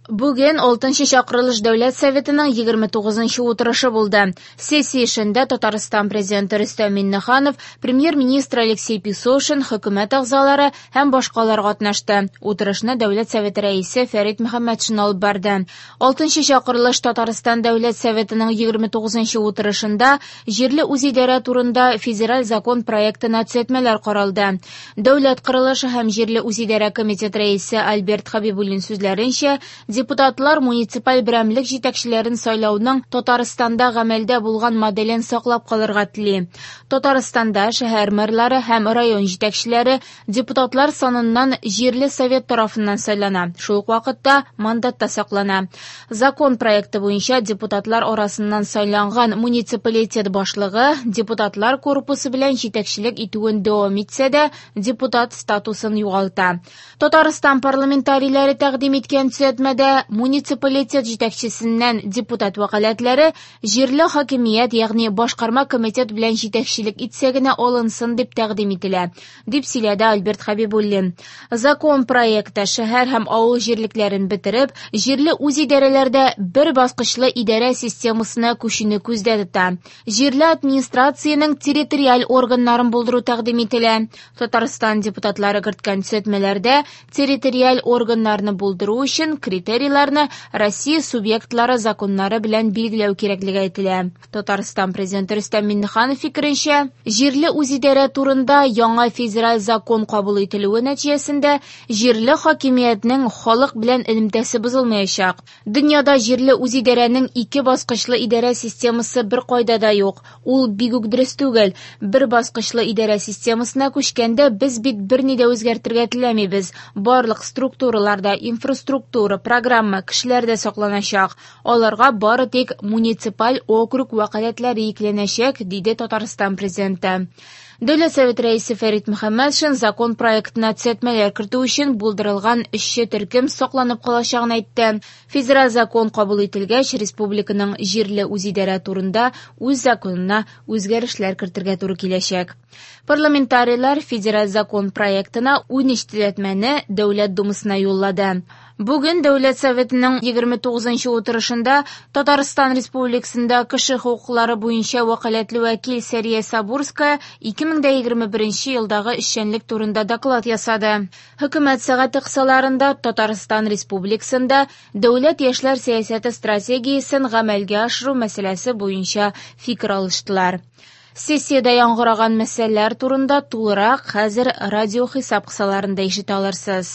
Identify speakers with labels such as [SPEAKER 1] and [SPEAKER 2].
[SPEAKER 1] Бүген 6 чакырылыш Дәүләт Советының 29 утырышы булды. Сессия эшендә Татарстан Президенты Рөстәм Миңнеханов, Премьер-министр Алексей Песошин, хөкүмәт әгъзалары һәм башкалар катнашты. Утырышны Дәүләт Советы рәисе Фәрит Мөхәммәтшин алып барды. 6 чакырылыш Татарстан Дәүләт Советының 29 утырышында җирле үзидарә турында федераль закон проектына төзәтмәләр каралды. Дәүләт корылышы һәм җирле үзидарә комитет рәисе Альберт Хәбибуллин сүзләренчә, депутатлар муниципаль берәмлек җитәкчеләрен сайлауның Татарстанда гамәлдә булган моделен саклап калырга тели. Татарстанда шәһәр мэрлары һәм район җитәкчеләре депутатлар саныннан җирле совет тарафыннан сайлана, шул ук вакытта мандатта саклана. Закон проекты буенча депутатлар арасыннан сайланган муниципалитет башлыгы депутатлар корпусы белән җитәкчелек итүен дәвам итсә дә, депутат статусын югалта. Татарстан парламентарийлары тәкъдим иткән төзәтмәдә муниципалитет җитәкчесеннән депутат вәкаләтләре җирле хакимият, ягъни башкарма комитет белән җитәкчелек итсә генә алынсын дип тәкъдим ителә, дип сөйләде Альберт Хәбибуллин. Закон проекты шәһәр һәм авыл җирлекләрен бетереп, җирле үзидарәләрдә бер баскычлы идарә системасына күчүне күздә тота. Җирле администрациянең территориаль органнарын булдыру тәкъдим ителә. Татарстан депутатлары керткән төзәтмәләрдә территориаль органнарны булдыру өчен критерийларны Россия субъектлары законнары белән билгеләү кирәклеге әйтелә. Татарстан Президенты Рөстәм Миңнеханов фикеренчә, җирле үзидарә турында яңа федераль закон кабул ителүе нәтиҗәсендә җирле хакимиятнең халык белән элемтәсе бозылмаячак. Дөньяда җирле үзидарәнең ике баскычлы идарә системасы беркайда да юк. Ул бик үк дөрес түгел. Бер баскычлы идарә системасына күчкәндә без бит берни дә үзгәртергә теләмибез. Барлык структураларда инфраструктура, программа, кешеләр дә сакланачак. Аларга бары тик муниципаль округ вәкаләтләре йөкләнәчәк, диде Татарстан Президенты. Дәүләт Советы рәисе Фәрит Мөхәммәтшин закон проектына төзәтмәләр кертү өчен булдырылган эшче төркем сакланып калачагын әйтте. Федераль закон кабул ителгәч, республиканың җирле үзидарә турында үз законына үзгәрешләр кертергә туры киләчәк. Парламентарийлар федераль закон проектына 13 төзәтмәне Дәүләт Думасына юллады. Бүген Дәүләт Советының 29 утырышында Татарстан Республикасында кеше хокуклары буенча вәкаләтле вәкил Сәрия Сабурская 2021 елдагы эшчәнлек турында доклад ясады. Хөкүмәт сәгате кысаларында Татарстан Республикасында дәүләт яшьләр сәясәте стратегиясен гамәлгә ашыру мәсьәләсе буенча фикер алыштылар. Сессиядә яңгыраган мәсьәләләр турында тулырак хәзер радио хисап кысаларында ишетә алырсыз.